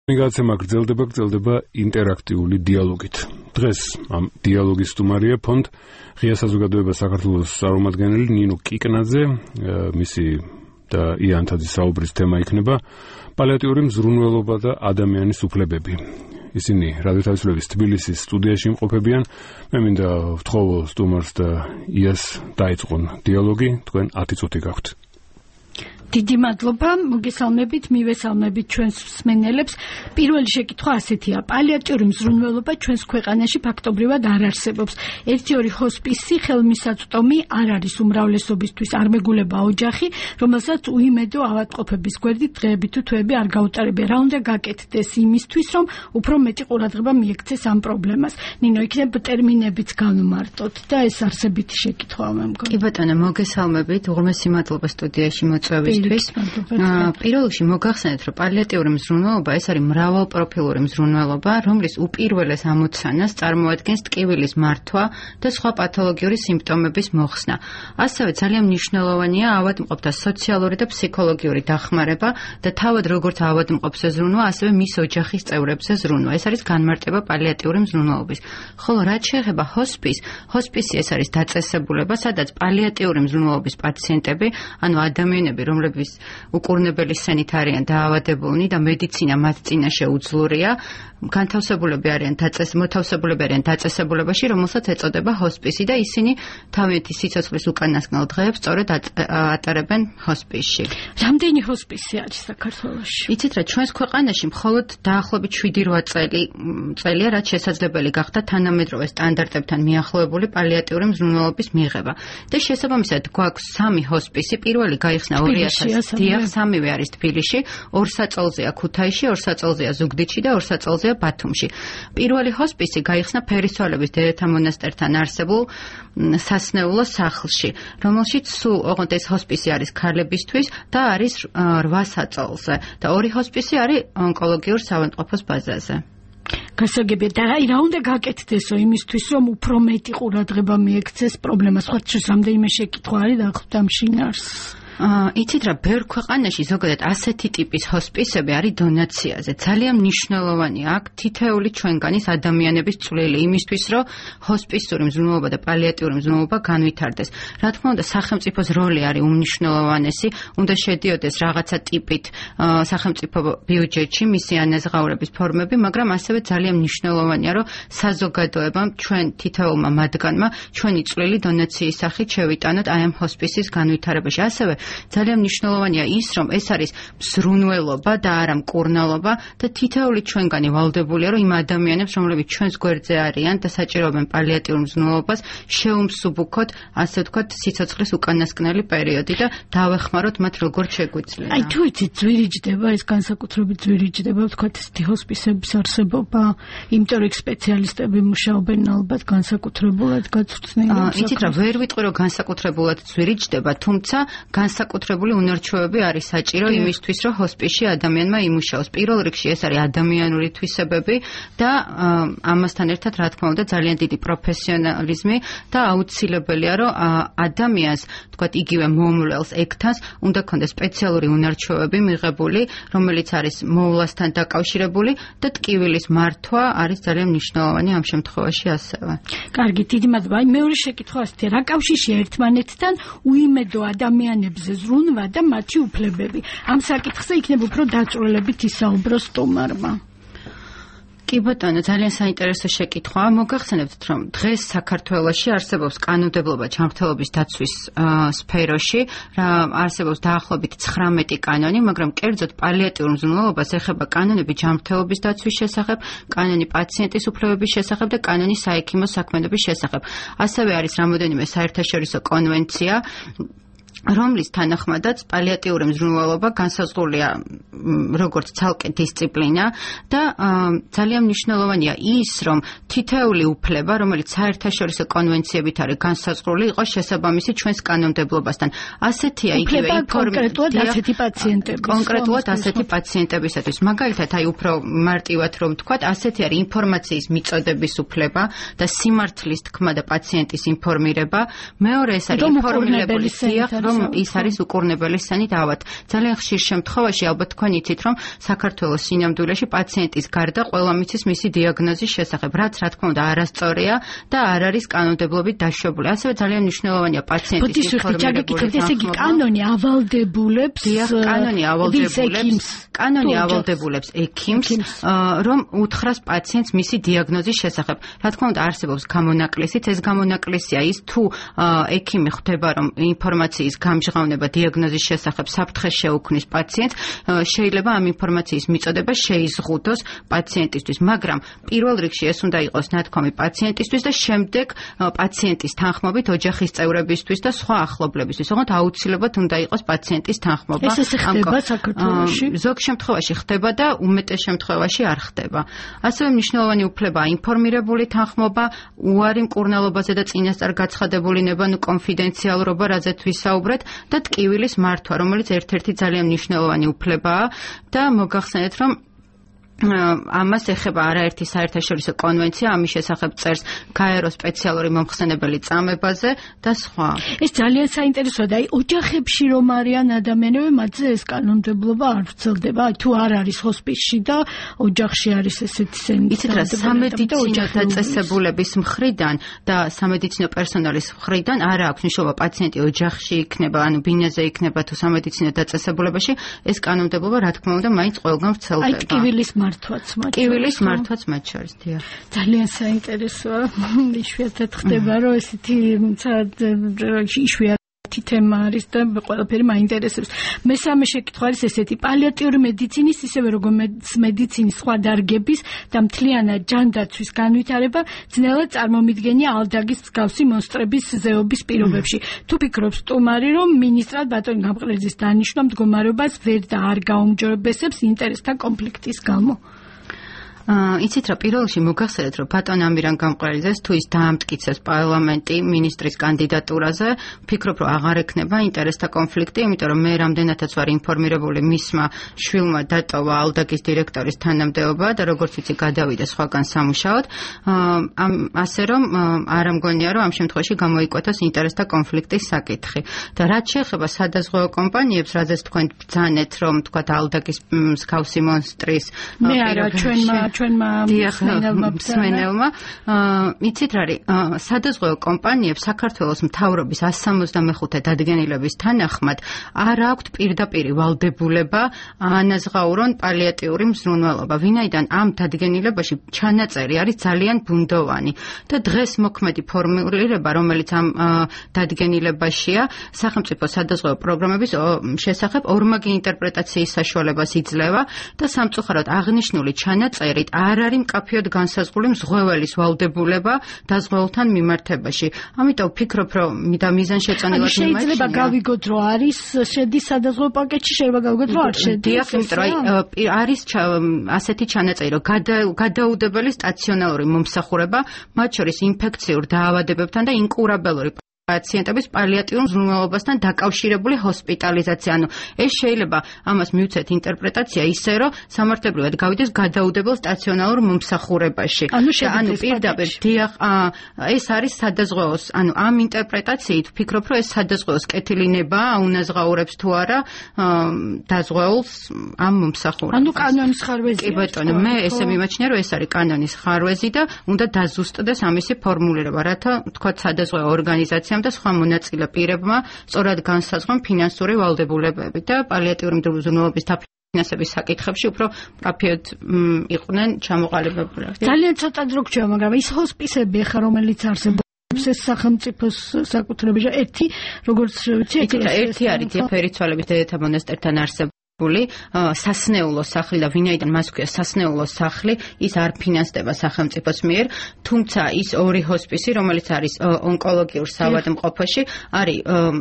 მიგაცემა გრძელდება ინტერაქტიული დიალოგით. დღეს ამ დიალოგის სტუმარია ფონდ ღია საზოგადოება საქართველოს წარმომადგენელი ნინო კიკნაძე, მისი და იანთაძის საუბრის თემა იქნება პალიატიური მზრუნველობა და ადამიანის უფლებები. ისინი რადიო თავისუფლების თბილისის სტუდიაში იმყოფებიან. მე მინდა ვთხოვო სტუმარს და იას დაიწყონ დიალოგი, თქვენ 10 წუთი გაქვთ. დიდი მადლობა, მოგესალმებით, მივესალმებით ჩვენს მსმენელებს. პირველი შეკითხვა ასეთია: პალიატიური მზრუნველობა ჩვენს ქვეყანაში ფაქტობრივად არ არსებობს. 1-2 ჰოსპისი ხელმისაწვდომი არ არის უმრავლესობისთვის, არ მეგულება ოჯახი, რომელსაც უიმედო ავადმყოფების გვერდით დღეები თუ თვეები არ გაუტარებია. რა უნდა გაკეთდეს იმისთვის, რომ უფრო მეტი ყურადღება მიექცეს ამ პრობლემას? ნინო, იქნებ ტერმინებიც განვმარტოთ და ეს არსებითი შეკითხვაა მე მგონი. კი ბატონო, მოგესალმებით, უღრმესი მადლობა სტუდიაში მოწვევის. პირველ რიგში მოგახსენეთ, რომ პალიატიური მზრუნველობა ეს არის მრავალპროფილური მზრუნველობა, რომლის უპირველეს ამოცანას წარმოადგენს ტკივილის მართვა და სხვა პათოლოგიური სიმპტომების მოხსნა. ასევე ძალიან მნიშვნელოვანია ავადმყოფთა სოციალური და ფსიქოლოგიური დახმარება და თავად როგორც ავადმყოფს ზრუნვა, ასევე მის ოჯახის წევრებზე ზრუნვა. ეს არის განმარტება პალიატიური მზრუნველობის. ხოლო რაც შეეხება ჰოსპისი ეს არის დაწესებულება, სადაც პალიატიური მზრუნველობის პაციენტები, ანუ ადამიანები, რომლებიც უკურნებელი სენით არიან დაავადებულნი და მედიცინა მათ წინაშე უძლურია, განთავსებულები არიან დაწესებულებაში, რომელსაც ეწოდება ჰოსპისი და ისინი თავიანთი სიცოცხლის უკანასკნელ დღეებს სწორედ ატარებენ ჰოსპისში. რამდენი ჰოსპისი არის საქართველოში? იცით რა, ჩვენს ქვეყანაში მხოლოდ დაახლოებით 7-8 წელია, რაც შესაძლებელი გახდა თანამედროვე სტანდარტებთან მიახლოებული პალიატიური მზრუნველობის მიღება. და შესაბამისად გვაქვს 3 ჰოსპისი, პირველი გაიხსნა 2000 დიახ, 3-ვე არის თბილისში, 2 საწოლზეა ქუთაისში, 2 საწოლზეა ზუგდიდში და 2 საწოლზეა ბათუმში. პირველი ჰოსპისი გაიხსნა ფერისცვალების დედათა მონასტერთან არსებულ სასნეულო სახლში, რომელშიც სულ ოღონდ ეს ჰოსპისი არის ქალებისთვის და არის 8 საწოლზე და 2 ჰოსპისი არის ონკოლოგიურ საავადმყოფოს ბაზაზე. გასაგებია და რა უნდა გაკეთდესო იმისთვის, რომ უფრო მეტი ყურადღება მიექცეს პრობლემას? სხვა რამდენიმე შეკითხვა არის დაახლოებით ამ შინაარსს. იცით რა, ბევრ ქვეყანაში ზოგადად ასეთი ტიპის ჰოსპისები არის დონაციაზე. ძალიან მნიშვნელოვანია აქ თითეული ჩვენგანის ადამიანების წვლილი იმისთვის, რომ ჰოსპისური მზრუნველობა და პალიატიური მზრუნველობა განვითარდეს. რა თქმა უნდა, სახელმწიფოს როლი არის უმნიშვნელოვანესი, უნდა შედიოდეს რაღაცა ტიპით სახელმწიფო ბიუჯეტში მისი ანაზღაურების ფორმები, მაგრამ ასევე ძალიან მნიშვნელოვანია, რომ საზოგადოებამ, ჩვენ თითოეულმა მათგანმა ჩვენი წვლილი დონაციის სახით შევიტანოთ აი ამ ჰოსპისის განვითარებაში. ასევე ძალიან მნიშვნელოვანია ის, რომ ეს არის მზრუნველობა და არა მკურნალობა და თითოეული ჩვენგანი ვალდებულია, რომ იმ ადამიანებს, რომლებიც ჩვენს გვერდზე არიან და საჭიროებენ პალიატიურ მზრუნველობას, შევმსუბუქოთ, ასე ვთქვათ, სიცოცხლის უკანასკნელი პერიოდი და დავეხმაროთ მათ როგორც შეგვიძლია. აი თუ იცით, ძვირიჯდება ეს განსაკუთრებით ძვირიჯდება, ვთქვათ, ესეთი ჰოსპისების არსებობა, იმიტომ რომ სპეციალისტები მუშაობენ ალბათ განსაკუთრებულად გაწვრთნილად. იცით რა, ვერ ვიტყვი რომ განსაკუთრებულად ძვირიჯდება, თუმცა განსაკუთრებული უნარჩვევები არის საჭირო იმისთვის, რომ ჰოსპისში ადამიანმა იმუშაოს. პირველ რიგში ეს არის ადამიანური თვისებები და ამასთან ერთად, რა თქმა უნდა, ძალიან დიდი პროფესიონალიზმი და აუცილებელია, რომ ადამიანს, თქვათ, იგივე მომვლელს ექთანს, უნდა ქონდეს სპეციალური უნარჩვევები მიღებული, რომელიც არის მოვლასთან დაკავშირებული და ტკივილის მართვა არის ძალიან მნიშვნელოვანი ამ შემთხვევაში ასევე. კარგი, დიდი მადლობა. აი მეორე შეკითხვა ასეთია: რა კავშირშია ერთმანეთთან უიმედო ადამიანებზე ზრუნვა და მათი უფლებები? ამ საკითხზე იქნება უფრო დაწვრილებით ისაუბრო სტუმარმა. კი ბატონო, ძალიან საინტერესო შეკითხვაა. მოგახსენებთ, რომ დღეს საქართველოში არსებობს კანონმდებლობა ჯანმრთელობის დაცვის სფეროში, არსებობს დაახლოებით 19 კანონი, მაგრამ კერძოდ პალიატიურ მზრუნველობას ეხება კანონები ჯანმრთელობის დაცვის შესახებ, კანონი პაციენტის უფლებების შესახებ და კანონი საექიმო საქმიანობის შესახებ. ასევე არის რამოდენიმე საერთაშორისო კონვენცია, რომლის თანახმადაც პალიატიური მზრუნველობა განსაზღვრულია როგორც ცალკე დისციპლინა და ძალიან მნიშვნელოვანია ის, რომ თითოეული უფლება, რომელიც საერთაშორისო კონვენციებით არის განსაზღვრული, იყოს შესაბამისი ჩვენს კანონმდებლობასთან. ასეთია იგივე კონკრეტულად ასეთი პაციენტების. კონკრეტულად ასეთი პაციენტებისათვის. მაგალითად, აი უფრო მარტივად რომ ვთქვათ, ასეთი არის ინფორმაციის მიწოდების უფლება და სიმართლის თქმა და პაციენტის ინფორმირება. მეორე ეს არის ინფორმირებული სიახ, რომ ის არის უკურნებელი სცენით ავად. ძალიან ხშირ შემთხვევაში ალბათ თქვენ იცით, რომ საქართველოს სინამდვილეში პაციენტის გარდა ყველა მიცის მისი დიაგნოზის შესახებ, რაც რა თქმა უნდა არასწორია და არ არის კანონმდებლობით დაშვებული. ასევე ძალიან მნიშვნელოვანია პაციენტის ინფორმირებული თანხმობა. კანონი ავალდებულებს ექიმს, რომ უთხრას პაციენტს მისი დიაგნოზის შესახებ. რა თქმა უნდა არსებობს გამონაკლისიც, ეს გამონაკლისია ის თუ ექიმი ხვდება რომ ინფორმაციის გამჟღავნება დიაგნოზის შესახებ საფრთხეს შეუქმნის პაციენტს, შეიძლება ამ ინფორმაციის მიწოდება შეიზღუდოს პაციენტისთვის, მაგრამ პირველ რიგში ეს უნდა იყოს ნათქვამი პაციენტისთვის და შემდეგ პაციენტის თანხმობით ოჯახის წევრებისთვის და სხვა ახლობლებისთვის. ოღონდ აუცილებლად უნდა იყოს პაციენტის თანხმობა. ეს ხდება საქართველოში? ზოგ შემთხვევაში ხდება და უმეტეს შემთხვევაში არ ხდება. ასევე მნიშვნელოვანი უფლებაა ინფორმირებული თანხმობა, უარი მკურნალობაზე და წინასწარ გაცხადებული ნება, კონფიდენციალურობა, რაზეც ვისაუბრეთ და ტკივილის მართვა, რომელიც ერთ-ერთი ძალიან მნიშვნელოვანი უფლებაა და მოგახსენეთ, რომ ამას ეხება არაერთი საერთაშორისო კონვენცია, ამის შესახებ წერს გაერო სპეციალური მომხსენებელი წამებაზე და სხვა. ეს ძალიან საინტერესოა და ოჯახებში რომ არიან ადამიანები, მათზე ეს კანონმდებლობა არ ვრცელდება, თუ არ არის ჰოსპისში და ოჯახში არის ესეთი სცენა. იცით რა, სამედიცინო დაწესებულების მხრიდან და სამედიცინო პერსონალის მხრიდან არ აქვს მნიშვნელობა პაციენტი ოჯახში იქნება, ანუ ბინაზე იქნება თუ სამედიცინო დაწესებულებაში, ეს კანონმდებლობა რა თქმა უნდა მაინც ყველგან ვრცელდება. აი ტკივილის ტკივილის მართვაც მათ შორის, დიახ. ძალიან საინტერესოა. იშვიათად ხდება, რომ ესეთი იშვიათი თემა არის და ყველაფერი მაინტერესებს. მესამე შეკითხვა არის ესეთი: პალიატიური მედიცინის, ისევე როგორც მედიცინის სხვა დარგების და მთლიანად ჯანდაცვის განვითარება ძნელად წარმომიდგენია ალდაგის მსგავსი მონსტრების ზეობის პირობებში. თუ ფიქრობს სტუმარი, რომ მინისტრად ბატონი გამყრელიძის დანიშვნა მდგომარეობას ვერ და არ გაუმჯობესებს ინტერესთა კონფლიქტის გამო? იცით რა, პირველ რიგში მოგახსენეთ, რომ ბატონ ამირან გამყრელიძეს თუ ის დაამტკიცებს პარლამენტი მინისტრის კანდიდატურაზე, ვფიქრობ, რომ აღარ ექნება ინტერესთა კონფლიქტი, იმიტომ რომ მე რამდენადაც ვარ ინფორმირებული, მისმა შვილმა დატოვა ალდაგის დირექტორის თანამდებობა და როგორც ვიცი გადავიდა სხვაგან სამუშაოდ, ასე რომ არ ამგონია, რომ ამ შემთხვევაში გამოიკვეთოს ინტერესთა კონფლიქტის საკითხი. და რაც შეეხება სადაზღვევო კომპანიებს, რაზეც თქვენ ბრძანეთ, რომ თქვათ ალდაგის მსგავსი მონსტრის მე არა ჩვენმა მსმენელმა, იცით რა არის, სადაზღვევო კომპანიებს საქართველოს მთავრობის 165 დადგენილების თანახმად არ აქვთ პირდაპირი ვალდებულება ანაზღაურონ პალიატიური მზრუნველობა, ვინაიდან ამ დადგენილებაში ჩანაწერი არის ძალიან ბუნდოვანი და დღეს მოქმედი ფორმულირება, რომელიც ამ დადგენილებაშია, სახელმწიფო სადაზღვევო პროგრამების შესახებ ორმაგი ინტერპრეტაციის საშუალებას იძლევა და სამწუხაროდ აღნიშნული ჩანაწერი არ არის მკაფიოდ განსაზღვრული მზღვეველის ვალდებულება დაზღვეულთან მიმართებაში. ამიტომ ვფიქრობ, რომ მიზანშეწონილად შეიძლება გავიგოთ, რომ არის შედის სადაზღვევო პაკეტში, შეიძლება გავიგოთ, რომ არ შედის. დიახ, იმიტომ რომ არის ასეთი ჩანაწერი, რომ გადაუდებელი სტაციონალური მომსახურება, მათ შორის ინფექციურ დაავადებებთან და ინკურაბელური პაციენტების პალიატიურ მზრუნველობასთან დაკავშირებული ჰოსპიტალიზაცია. ანუ ეს შეიძლება ამას მივცეთ ინტერპრეტაცია ისე, რომ სამართლებრივად გავიდეს გადაუდებელ სტაციონალურ მომსახურებაში. ანუ პირდაპირ დიახ, ეს არის სადაზღვეოს, ანუ ამ ინტერპრეტაციით ვფიქრობ, რომ ეს სადაზღვეოს კეთილინება აუნაზღაურებს თუ არა დაზღვეულს ამ მომსახურებას. ანუ კანონის ხარვეზია. კი ბატონო, მე ესე მიმაჩნია, რომ ეს არის კანონის ხარვეზი და უნდა დაზუსტდეს ამისი ფორმულირება, რათა თქვათ სადაზღვეო ორგანიზაცია და სხვა მონაწილე პირებმა სწორად განსაზღვრონ ფინანსური ვალდებულებები და პალიატიური მზრუნველობის ფინანსების საკითხებში უფრო მკაფიოდ იყვნენ ჩამოყალიბებული. ძალიან ცოტა დრო გრჩება, მაგრამ ის ჰოსპისები ახლა რომელიც არსებობს ეს სახელმწიფოს საკუთრებაში ერთი როგორც ვიცი ერთი არის ფერიცვალების დედათა მონასტერთან არსებობს სასნეულო სახლი და ვინაიდან მას ქვია სასნეულო სახლი, ის არ ფინანსდება სახელმწიფოს მიერ, თუმცა ის ორი ჰოსპისი, რომელიც არის ონკოლოგიურ საავადმყოფოში, არის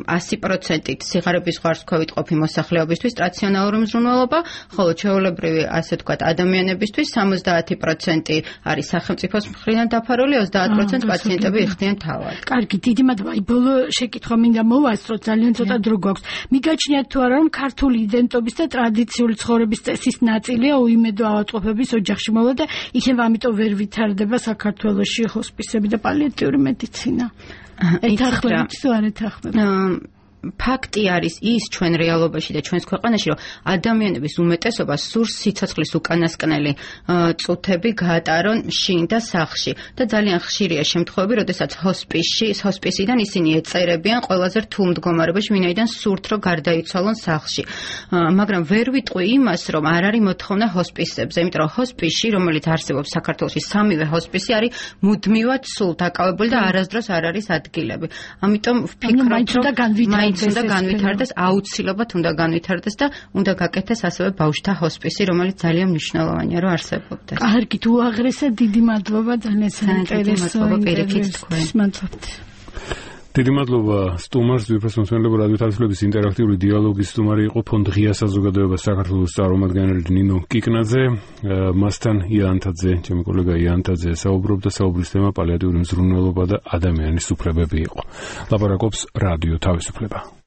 100%-ით სიღარიბის ზღვარსქვევით ყოფი მოსახლეობისთვის სტაციონალური მზრუნველობა, ხოლო ჩვეულებრივი, ასე ვთქვათ, ადამიანებისთვის 70% არის სახელმწიფოს მხრიდან დაფარული, 30% პაციენტები იხდიან თავად. კარგი, დიდი მადლობა. ბოლო შეკითხვა მინდა მოვასწრო, ძალიან ცოტა დრო გვაქვს. მიგაჩნიათ თუ არა, რომ ქართული იდენტობის და ტრადიციული ცხოვრების წესის ნაწილია უიმედო ავადმყოფების ოჯახში მოვლა და იქნებ ამიტომ ვერ ვითარდება საქართველოში ჰოსპისები და პალიატიური მედიცინა. ეთანხმებით თუ არ ეთანხმებით? ფაქტი არის ის ჩვენ რეალობაში და ჩვენს ქვეყანაში, რომ ადამიანების უმეტესობა სურს სიცოცხლის უკანასკნელი წუთები გაატარონ შინ და სახლში და ძალიან ხშირია შემთხვევები, როდესაც ჰოსპისიდან ისინი ეწერებიან ყველაზე რთულ მდგომარეობაში, ვინაიდან სურთ რომ გარდაიცვალონ სახლში. მაგრამ ვერ ვიტყვი იმას, რომ არ არის მოთხოვნა ჰოსპისებზე, იმიტომ რომ ჰოსპისში, რომელიც არსებობს საქართველოში, სამივე ჰოსპისი არის მუდმივად სულ დაკავებული და არასდროს არ არის ადგილები. ამიტომ ვფიქრობ, რომ მაინც უნდა განვითარდეს, აუცილებლად უნდა განვითარდეს და უნდა გაკეთდეს ასევე ბავშვთა ჰოსპისი, რომელიც ძალიან მნიშვნელოვანია, რომ არსებობდეს. კარგით, უაღრესად დიდი მადლობა, ძალიან საინტერესოა პირიქით თქვენ. მადლობთ. დიდი მადლობა სტუმარს, ვიფროს მოსმენელებო რადიო თავისუფლების ინტერაქტიული დიალოგის სტუმარი იყო ფონდ ღია საზოგადოება საქართველოს წარმომადგენელი ნინო კიკნაძე, მასთან იანთაძე, ჩემი კოლეგა იანთაძე საუბრობდა, საუბრის თემა პალიატიური მზრუნველობა და ადამიანის უფლებები იყო. ლაპარაკობს რადიო თავისუფლება.